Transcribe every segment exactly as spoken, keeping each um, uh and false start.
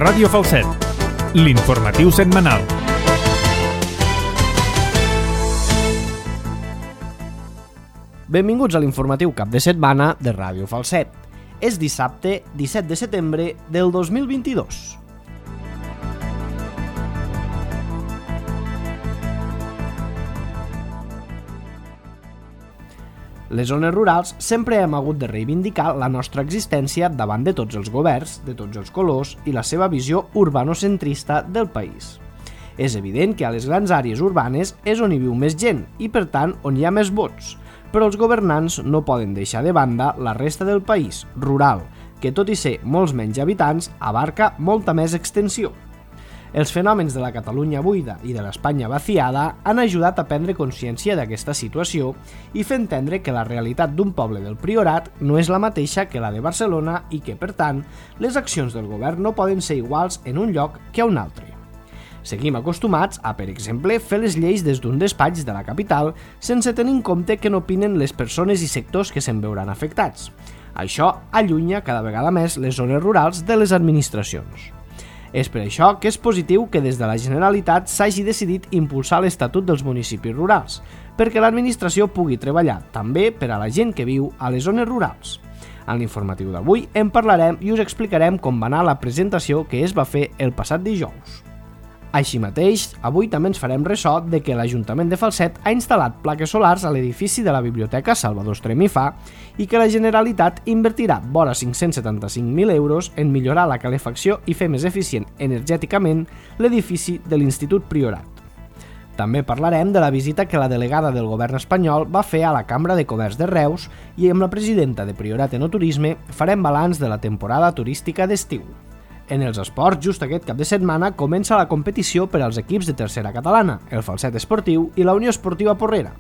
Ràdio Falset, l'informatiu setmanal. Benvinguts a l'informatiu cap de setmana de Ràdio Falset. És dissabte disset de setembre del dos mil vint-i-dos. Les zones rurals sempre hem hagut de reivindicar la nostra existència davant de tots els governs, de tots els colors i la seva visió urbanocentrista del país. És evident que a les grans àrees urbanes és on hi viu més gent i, per tant, on hi ha més vots, però els governants no poden deixar de banda la resta del país, rural, que tot i ser molts menys habitants, abarca molta més extensió. Els fenòmens de la Catalunya buida i de l'Espanya vaciada han ajudat a prendre consciència d'aquesta situació i fer entendre que la realitat d'un poble del Priorat no és la mateixa que la de Barcelona i que, per tant, les accions del govern no poden ser iguals en un lloc que a un altre. Seguim acostumats a, per exemple, fer les lleis des d'un despatx de la capital sense tenir en compte què n'opinen les persones i sectors que se'n veuran afectats. Això allunya cada vegada més les zones rurals de les administracions. És per això que és positiu que des de la Generalitat s'hagi decidit impulsar l'Estatut dels municipis rurals, perquè l'administració pugui treballar també per a la gent que viu a les zones rurals. En l'informatiu d'avui en parlarem i us explicarem com va anar la presentació que es va fer el passat dijous. Així mateix, avui també ens farem ressò de que l'Ajuntament de Falset ha instal·lat plaques solars a l'edifici de la Biblioteca Salvador Estrem i Fa i que la Generalitat invertirà vora cinc-cents setanta-cinc mil euros en millorar la calefacció i fer més eficient energèticament l'edifici de l'Institut Priorat. També parlarem de la visita que la delegada del govern espanyol va fer a la Cambra de Comerç de Reus i amb la presidenta de Priorat Enoturisme farem balanç de la temporada turística d'estiu. En els esports, just aquest cap de setmana comença la competició per als equips de tercera catalana, el Falset Esportiu i la Unió Esportiva Porrera.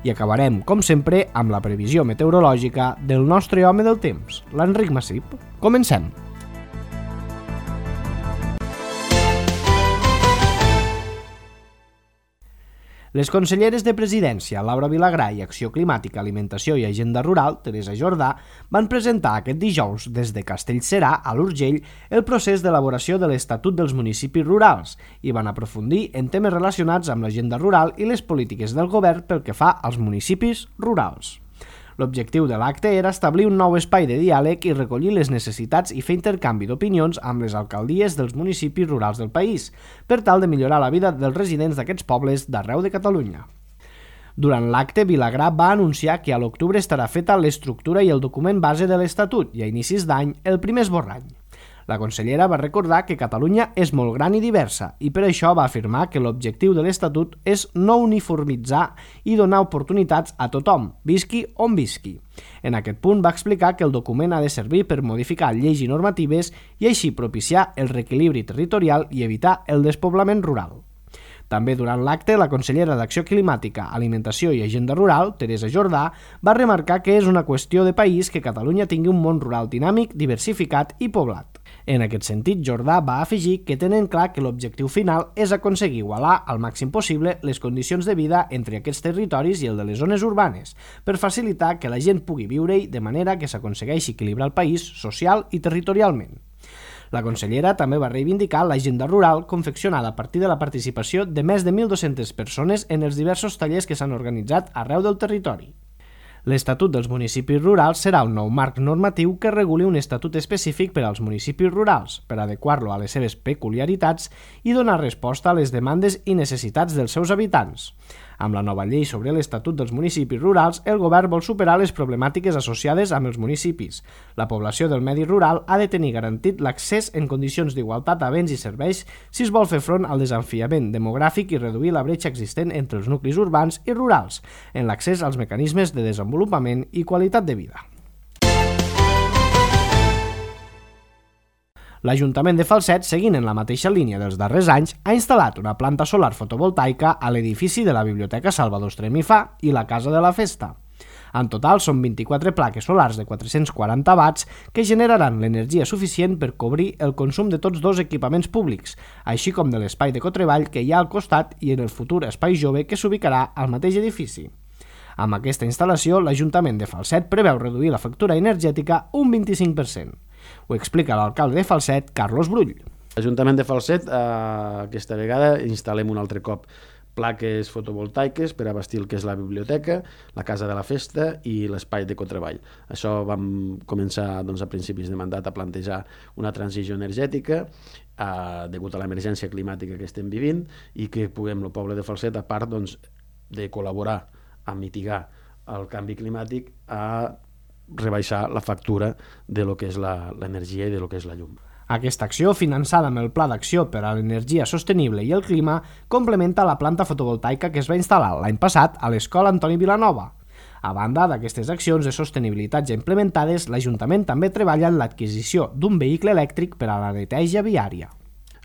I acabarem, com sempre, amb la previsió meteorològica del nostre home del temps, l'Enric Massip. Comencem! Les conselleres de Presidència, Laura Vilagrà, i Acció Climàtica, Alimentació i Agenda Rural, Teresa Jordà, van presentar aquest dijous des de Castellserà a l'Urgell el procés d'elaboració de l'Estatut dels municipis rurals i van aprofundir en temes relacionats amb l'agenda rural i les polítiques del govern pel que fa als municipis rurals. L'objectiu de l'acte era establir un nou espai de diàleg i recollir les necessitats i fer intercanvi d'opinions amb les alcaldies dels municipis rurals del país, per tal de millorar la vida dels residents d'aquests pobles d'arreu de Catalunya. Durant l'acte, Vilagrà va anunciar que a l'octubre estarà feta l'estructura i el document base de l'Estatut i a inicis d'any el primer esborrany. La consellera va recordar que Catalunya és molt gran i diversa i per això va afirmar que l'objectiu de l'Estatut és no uniformitzar i donar oportunitats a tothom, visqui on visqui. En aquest punt va explicar que el document ha de servir per modificar lleis i normatives i així propiciar el reequilibri territorial i evitar el despoblament rural. També durant l'acte, la consellera d'Acció Climàtica, Alimentació i Agenda Rural, Teresa Jordà, va remarcar que és una qüestió de país que Catalunya tingui un món rural dinàmic, diversificat i poblat. En aquest sentit, Jordà va afegir que tenen clar que l'objectiu final és aconseguir igualar al màxim possible les condicions de vida entre aquests territoris i el de les zones urbanes, per facilitar que la gent pugui viure-hi de manera que s'aconsegueixi equilibrar el país social i territorialment. La consellera també va reivindicar l'agenda rural confeccionada a partir de la participació de més de mil dues-centes persones en els diversos tallers que s'han organitzat arreu del territori. L'Estatut dels municipis rurals serà un nou marc normatiu que reguli un estatut específic per als municipis rurals, per adequar-lo a les seves peculiaritats i donar resposta a les demandes i necessitats dels seus habitants. Amb la nova llei sobre l'Estatut dels municipis rurals, el govern vol superar les problemàtiques associades amb els municipis. La població del medi rural ha de tenir garantit l'accés en condicions d'igualtat a béns i serveis si es vol fer front al desafiament demogràfic i reduir la bretxa existent entre els nuclis urbans i rurals, en l'accés als mecanismes de desenvolupament i qualitat de vida. L'Ajuntament de Falset, seguint en la mateixa línia dels darrers anys, ha instal·lat una planta solar fotovoltaica a l'edifici de la Biblioteca Salvador Estrem i Fa i la Casa de la Festa. En total són vint-i-quatre plaques solars de quatre-cents quaranta watts que generaran l'energia suficient per cobrir el consum de tots dos equipaments públics, així com de l'espai de cotreball que hi ha al costat i en el futur espai jove que s'ubicarà al mateix edifici. Amb aquesta instal·lació, l'Ajuntament de Falset preveu reduir la factura energètica un vint-i-cinc per cent. Ho explica l'alcalde de Falset, Carlos Brull. L'Ajuntament de Falset, eh, aquesta vegada, instal·lem un altre cop plaques fotovoltaiques per abastir el que és la biblioteca, la casa de la festa i l'espai de cotreball. Això vam començar doncs, a principis de mandat a plantejar una transició energètica eh, degut a l'emergència climàtica que estem vivint i que puguem, el poble de Falset, a part doncs, de col·laborar a mitigar el canvi climàtic, a rebaixar la factura de lo que és l'energia i de lo que és la llum. Aquesta acció, finançada amb el Pla d'Acció per a l'Energia Sostenible i el Clima, complementa la planta fotovoltaica que es va instal·lar l'any passat a l'Escola Antoni Vilanova. A banda d'aquestes accions de sostenibilitat ja implementades, l'Ajuntament també treballa en l'adquisició d'un vehicle elèctric per a la neteja viària.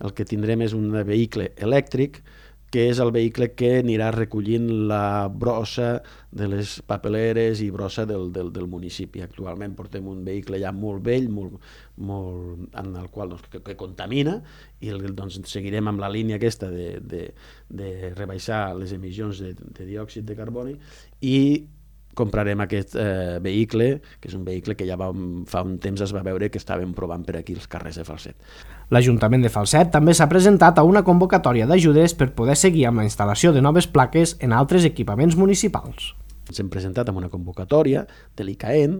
El que tindrem és un vehicle elèctric que és el vehicle que anirà recollint la brossa de les papeleres i brossa del, del, del municipi. Actualment portem un vehicle ja molt vell, molt, molt, en el qual doncs, que, que contamina, i el, doncs, seguirem amb la línia aquesta de, de, de rebaixar les emissions de, de diòxid de carboni, i comprarem aquest eh, vehicle, que és un vehicle que ja va, fa un temps es va veure que estàvem provant per aquí els carrers de Falset. L'Ajuntament de Falset també s'ha presentat a una convocatòria d'ajudes per poder seguir amb la instal·lació de noves plaques en altres equipaments municipals. Ens hem presentat amb una convocatòria de l'I C A E N,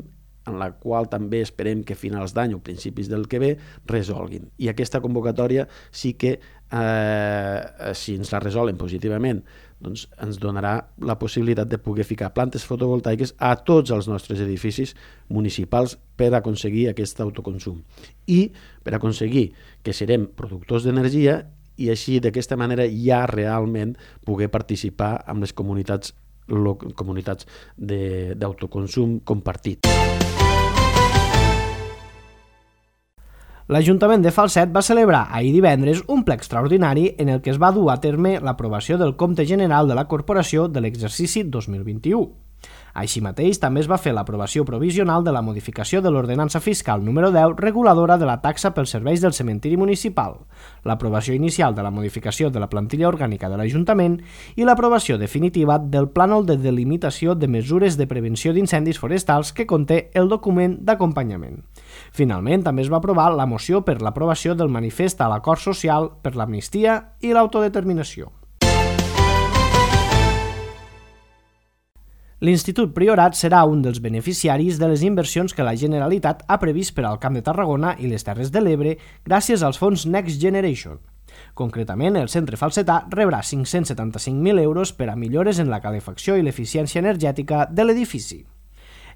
en la qual també esperem que a finals d'any o principis del que ve resolguin. I aquesta convocatòria sí que, eh, si ens la resolen positivament, doncs ens donarà la possibilitat de poder ficar plantes fotovoltaiques a tots els nostres edificis municipals per aconseguir aquest autoconsum i per aconseguir que serem productors d'energia i així d'aquesta manera ja realment poder participar amb les comunitats, comunitats d'autoconsum compartit. L'Ajuntament de Falset va celebrar ahir divendres un ple extraordinari en el que es va dur a terme l'aprovació del Compte General de la Corporació de l'exercici dos mil vint-i-u. Així mateix, també es va fer l'aprovació provisional de la modificació de l'ordenança fiscal número deu reguladora de la taxa pels serveis del cementiri municipal, l'aprovació inicial de la modificació de la plantilla orgànica de l'Ajuntament i l'aprovació definitiva del plànol de delimitació de mesures de prevenció d'incendis forestals que conté el document d'acompanyament. Finalment, també es va aprovar la moció per l'aprovació del manifest a l'acord social per l'amnistia i l'autodeterminació. L'Institut Priorat serà un dels beneficiaris de les inversions que la Generalitat ha previst per al Camp de Tarragona i les Terres de l'Ebre gràcies als fons Next Generation. Concretament, el centre falsetà rebrà cinc-cents setanta-cinc mil euros per a millores en la calefacció i l'eficiència energètica de l'edifici.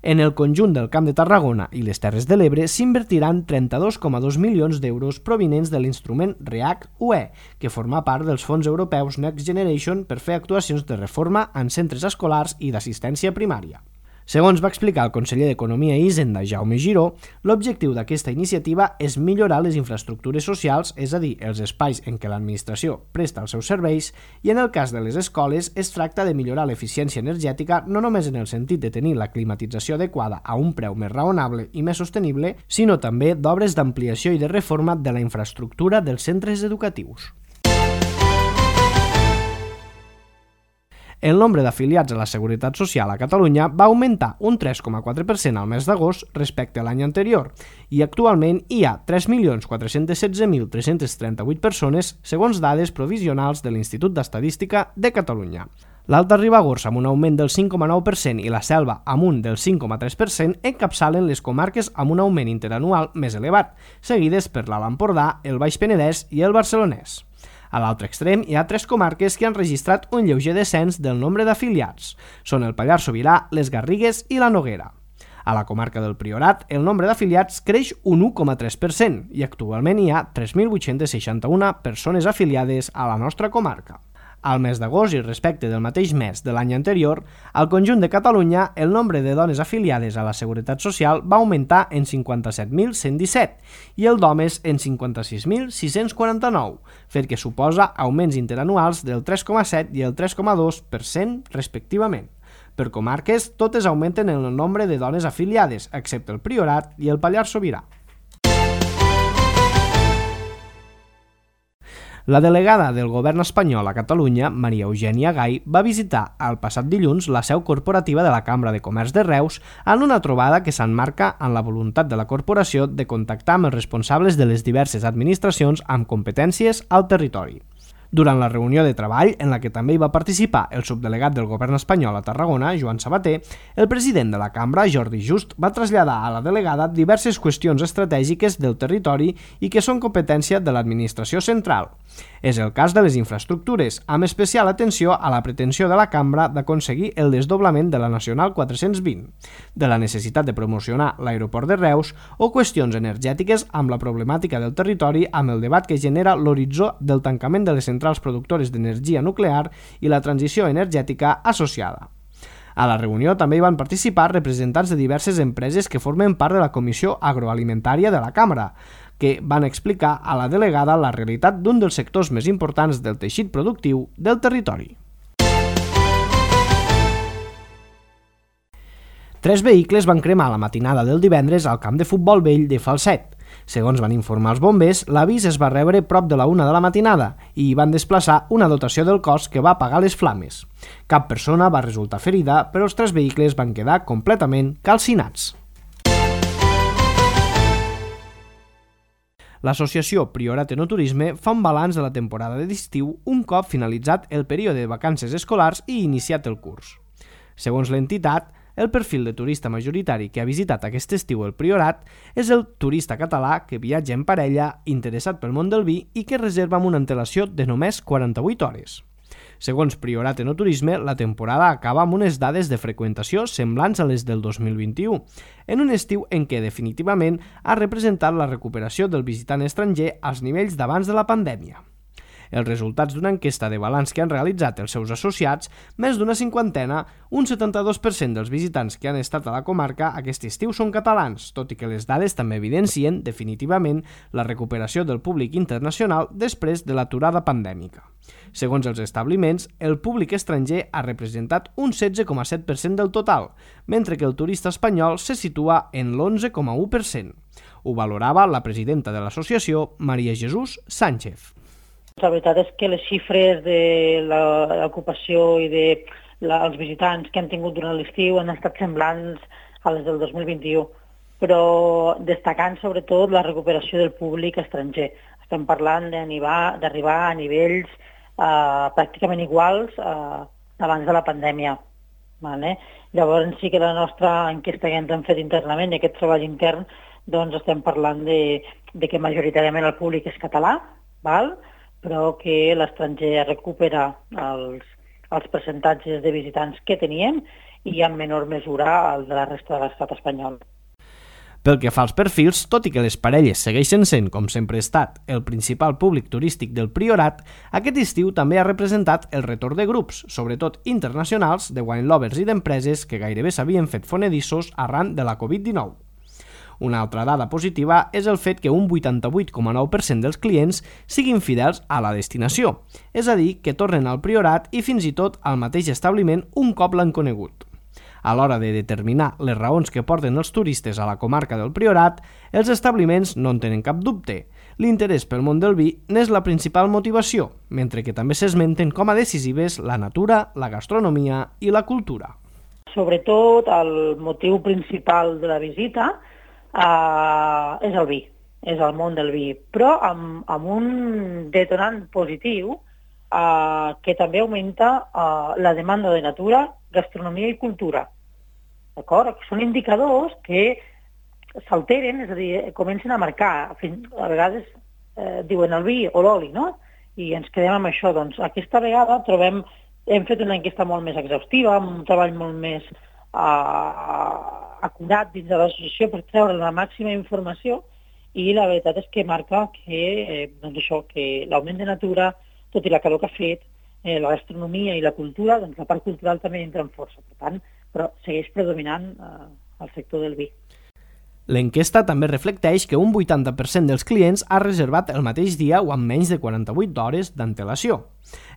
En el conjunt del Camp de Tarragona i les Terres de l'Ebre s'invertiran trenta-dos coma dos milions d'euros provinents de l'instrument REACT-U E, que forma part dels fons europeus Next Generation per fer actuacions de reforma en centres escolars i d'assistència primària. Segons va explicar el conseller d'Economia i Hisenda, Jaume Giró, l'objectiu d'aquesta iniciativa és millorar les infraestructures socials, és a dir, els espais en què l'administració presta els seus serveis, i en el cas de les escoles es tracta de millorar l'eficiència energètica no només en el sentit de tenir la climatització adequada a un preu més raonable i més sostenible, sinó també d'obres d'ampliació i de reforma de la infraestructura dels centres educatius. El nombre d'afiliats a la Seguretat Social a Catalunya va augmentar un tres coma quatre per cent al mes d'agost respecte a l'any anterior i actualment hi ha tres milions quatre-cents setze mil tres-cents trenta-vuit persones segons dades provisionals de l'Institut d'Estadística de Catalunya. L'Alta Ribagorça amb un augment del cinc coma nou per cent i la Selva amb un del cinc coma tres per cent encapçalen les comarques amb un augment interanual més elevat, seguides per l'Alt Empordà, el Baix Penedès i el Barcelonès. A l'altre extrem hi ha tres comarques que han registrat un lleuger descens del nombre d'afiliats. Són el Pallars Sobirà, les Garrigues i la Noguera. A la comarca del Priorat, el nombre d'afiliats creix un u coma tres per cent i actualment hi ha tres mil vuit-cents seixanta-una persones afiliades a la nostra comarca. Al mes d'agost i respecte del mateix mes de l'any anterior, al conjunt de Catalunya el nombre de dones afiliades a la Seguretat Social va augmentar en cinquanta-set mil cent disset i el d'homes en cinquanta-sis mil sis-cents quaranta-nou, fet que suposa augments interanuals del tres coma set i el tres coma dos per cent respectivament. Per comarques, totes augmenten en el nombre de dones afiliades, excepte el Priorat i el Pallars Sobirà. La delegada del govern espanyol a Catalunya, Maria Eugènia Gai, va visitar el passat dilluns la seu corporativa de la Cambra de Comerç de Reus en una trobada que s'emmarca en la voluntat de la corporació de contactar amb els responsables de les diverses administracions amb competències al territori. Durant la reunió de treball, en la que també hi va participar el subdelegat del govern espanyol a Tarragona, Joan Sabater, el president de la cambra, Jordi Just, va traslladar a la delegada diverses qüestions estratègiques del territori i que són competència de l'administració central. És el cas de les infraestructures, amb especial atenció a la pretensió de la cambra d'aconseguir el desdoblament de la Nacional quatre-cents vint, de la necessitat de promocionar l'aeroport de Reus o qüestions energètiques amb la problemàtica del territori amb el debat que genera l'horitzó del tancament de les centrals productores d'energia nuclear i la transició energètica associada. A la reunió també hi van participar representants de diverses empreses que formen part de la Comissió Agroalimentària de la Cambra, que van explicar a la delegada la realitat d'un dels sectors més importants del teixit productiu del territori. Tres vehicles van cremar la matinada del divendres al camp de futbol vell de Falset. Segons van informar els bombers, l'avís es va rebre prop de la una de la matinada i hi van desplaçar una dotació del cos que va apagar les flames. Cap persona va resultar ferida, però els tres vehicles van quedar completament calcinats. L'associació Priorat Enoturisme fa un balanç de la temporada d'estiu un cop finalitzat el període de vacances escolars i iniciat el curs. Segons l'entitat, el perfil de turista majoritari que ha visitat aquest estiu el Priorat és el turista català que viatja en parella, interessat pel món del vi i que reserva amb una antelació de només quaranta-vuit hores. Segons Priorat Enoturisme, la temporada acaba amb unes dades de freqüentació semblants a les del dos mil vint-i-u, en un estiu en què definitivament ha representat la recuperació del visitant estranger als nivells d'abans de la pandèmia. Els resultats d'una enquesta de balanç que han realitzat els seus associats, més d'una cinquantena, un setanta-dos per cent dels visitants que han estat a la comarca aquest estiu són catalans, tot i que les dades també evidencien definitivament la recuperació del públic internacional després de l'aturada pandèmica. Segons els establiments, el públic estranger ha representat un setze coma set per cent del total, mentre que el turista espanyol se situa en l'onze coma u per cent. Ho valorava la presidenta de l'associació, Maria Jesús Sánchez. La veritat és que les xifres de l'ocupació i dels visitants que han tingut durant l'estiu han estat semblants a les del dos mil vint-i-u, però destacant sobretot la recuperació del públic estranger. Estem parlant d'arribar a nivells eh, pràcticament iguals eh, abans de la pandèmia. Vale? Llavors sí que la nostra enquesta que ens han fet internament i aquest treball intern, doncs estem parlant de, de que majoritàriament el públic és català, val? Però que l'estranger recupera els, els percentatges de visitants que teníem i en menor mesura el de la resta de l'estat espanyol. Pel que fa als perfils, tot i que les parelles segueixen sent, com sempre ha estat, el principal públic turístic del Priorat, aquest estiu també ha representat el retorn de grups, sobretot internacionals, de wine lovers i d'empreses que gairebé s'havien fet fonedissos arran de la covid dinou. Una altra dada positiva és el fet que un vuitanta-vuit coma nou per cent dels clients siguin fidels a la destinació, és a dir, que tornen al Priorat i fins i tot al mateix establiment un cop l'han conegut. A l'hora de determinar les raons que porten els turistes a la comarca del Priorat, els establiments no en tenen cap dubte. L'interès pel món del vi n'és la principal motivació, mentre que també s'esmenten com a decisives la natura, la gastronomia i la cultura. Sobretot, el motiu principal de la visita Uh, és el vi, és el món del vi, però amb, amb un detonant positiu uh, que també augmenta uh, la demanda de natura, gastronomia i cultura. D'acord? Són indicadors que s'alteren, és a dir, comencen a marcar. A vegades eh, diuen el vi o l'oli, no? I ens quedem amb això. Doncs aquesta vegada trobem, hem fet una enquesta molt més exhaustiva, un treball molt més uh, acurat dins de l'associació per treure la màxima informació i la veritat és que marca que, eh, doncs això, que l'augment de natura, tot i la calor que ha fet, eh, la gastronomia i la cultura, doncs la part cultural també entra en força. Per tant, però segueix predominant eh, el sector del vi. L'enquesta també reflecteix que un vuitanta per cent dels clients ha reservat el mateix dia o amb menys de quaranta-vuit hores d'antelació.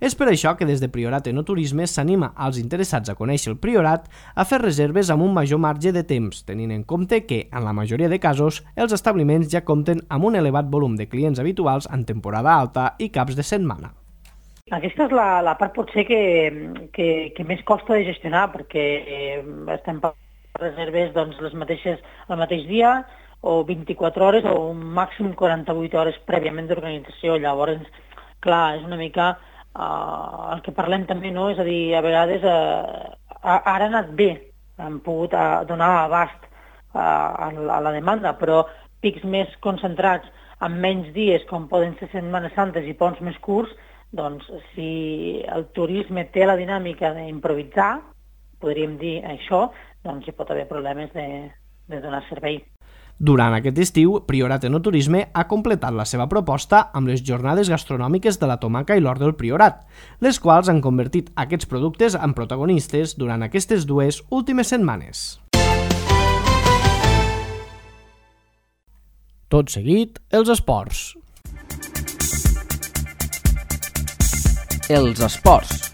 És per això que des de Priorat Enoturisme s'anima als interessats a conèixer el Priorat a fer reserves amb un major marge de temps, tenint en compte que, en la majoria de casos, els establiments ja compten amb un elevat volum de clients habituals en temporada alta i caps de setmana. Aquesta és la, la part potser que, que, que més costa de gestionar, perquè eh, estem parlant reserves doncs, les mateixes el mateix dia o vint-i-quatre hores o un màxim quaranta-vuit hores prèviament d'organització. Llavors, clar, és una mica uh, el que parlem també, no? És a dir, a vegades uh, ara ha anat bé, hem pogut uh, donar abast uh, a, la, a la demanda, però pics més concentrats en menys dies, com poden ser Setmanes Santes i ponts més curts, doncs si el turisme té la dinàmica d'improvisar, podríem dir això, doncs hi pot haver problemes de, de donar servei. Durant aquest estiu, Priorat Enoturisme ha completat la seva proposta amb les jornades gastronòmiques de la tomaca i l'hort del Priorat, les quals han convertit aquests productes en protagonistes durant aquestes dues últimes setmanes. Tot seguit, els esports. Els esports.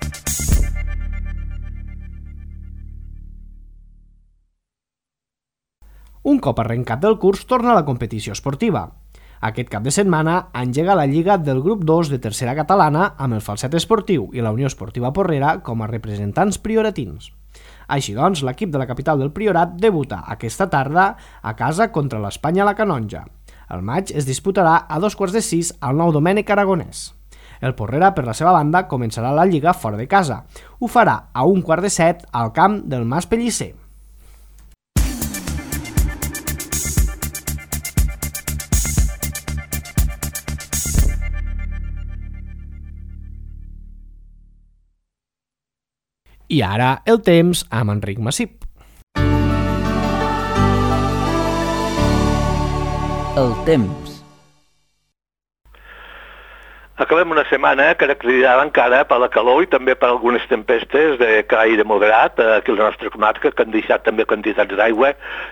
Un cop arrencat el curs, torna a la competició esportiva. Aquest cap de setmana engega la Lliga del grup dos de tercera catalana amb el Falset Esportiu i la Unió Esportiva Porrera com a representants prioratins. Així doncs, l'equip de la capital del Priorat debuta aquesta tarda a casa contra l'Espanya a la Canonja. El maig es disputarà a dos quarts de sis al Nou Domènec Aragonès. El Porrera, per la seva banda, començarà la Lliga fora de casa. Ho farà a un quart de set al camp del Mas Pellicer. I ara el temps amb Enric Massip. El temps. Acabem una setmana caracteritzada encara per la calor i també per algunes tempestes de caire moderat aquí a la nostra comarca, que han deixat també quantitats d'aigua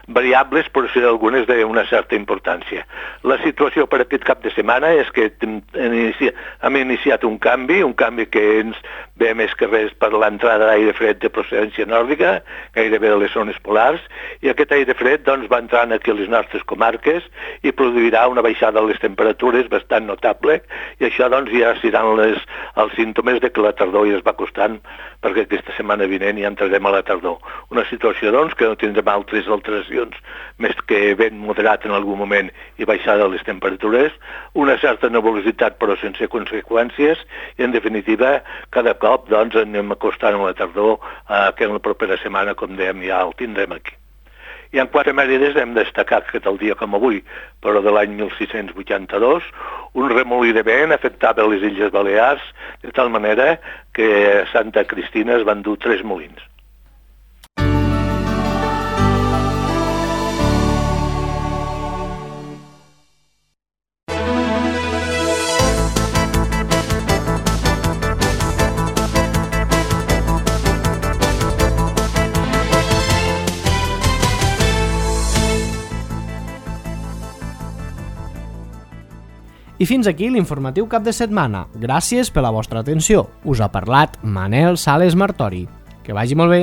variables, però sí algunes d'una certa importància. La situació per aquest cap de setmana és que hem iniciat un canvi, un canvi que ens ve més que res per l'entrada d'aire fred de procedència nòrdica, gairebé de les zones polars, i aquest aire fred doncs, va entrant aquí a les nostres comarques i produirà una baixada de les temperatures bastant notable, i això doncs ja seran les, els símptomes de que la tardor ja es va acostant, perquè aquesta setmana vinent ja entrarem a la tardor. Una situació doncs que no tindrem altres alteracions més que vent moderat en algun moment i baixada de les temperatures, una certa nebulositat però sense conseqüències, i en definitiva cada cop doncs anem acostant a la tardor eh, que en la propera setmana, com dèiem, ja el tindrem aquí. I en quatre mèrides hem destacat que tal dia com avui, però de l'any mil sis-cents vuitanta-dos, un remolí de vent afectava les Illes Balears de tal manera que a Santa Cristina es van dur tres molins. I fins aquí l'informatiu cap de setmana. Gràcies per la vostra atenció. Us ha parlat Manel Sales Martori. Que vagi molt bé.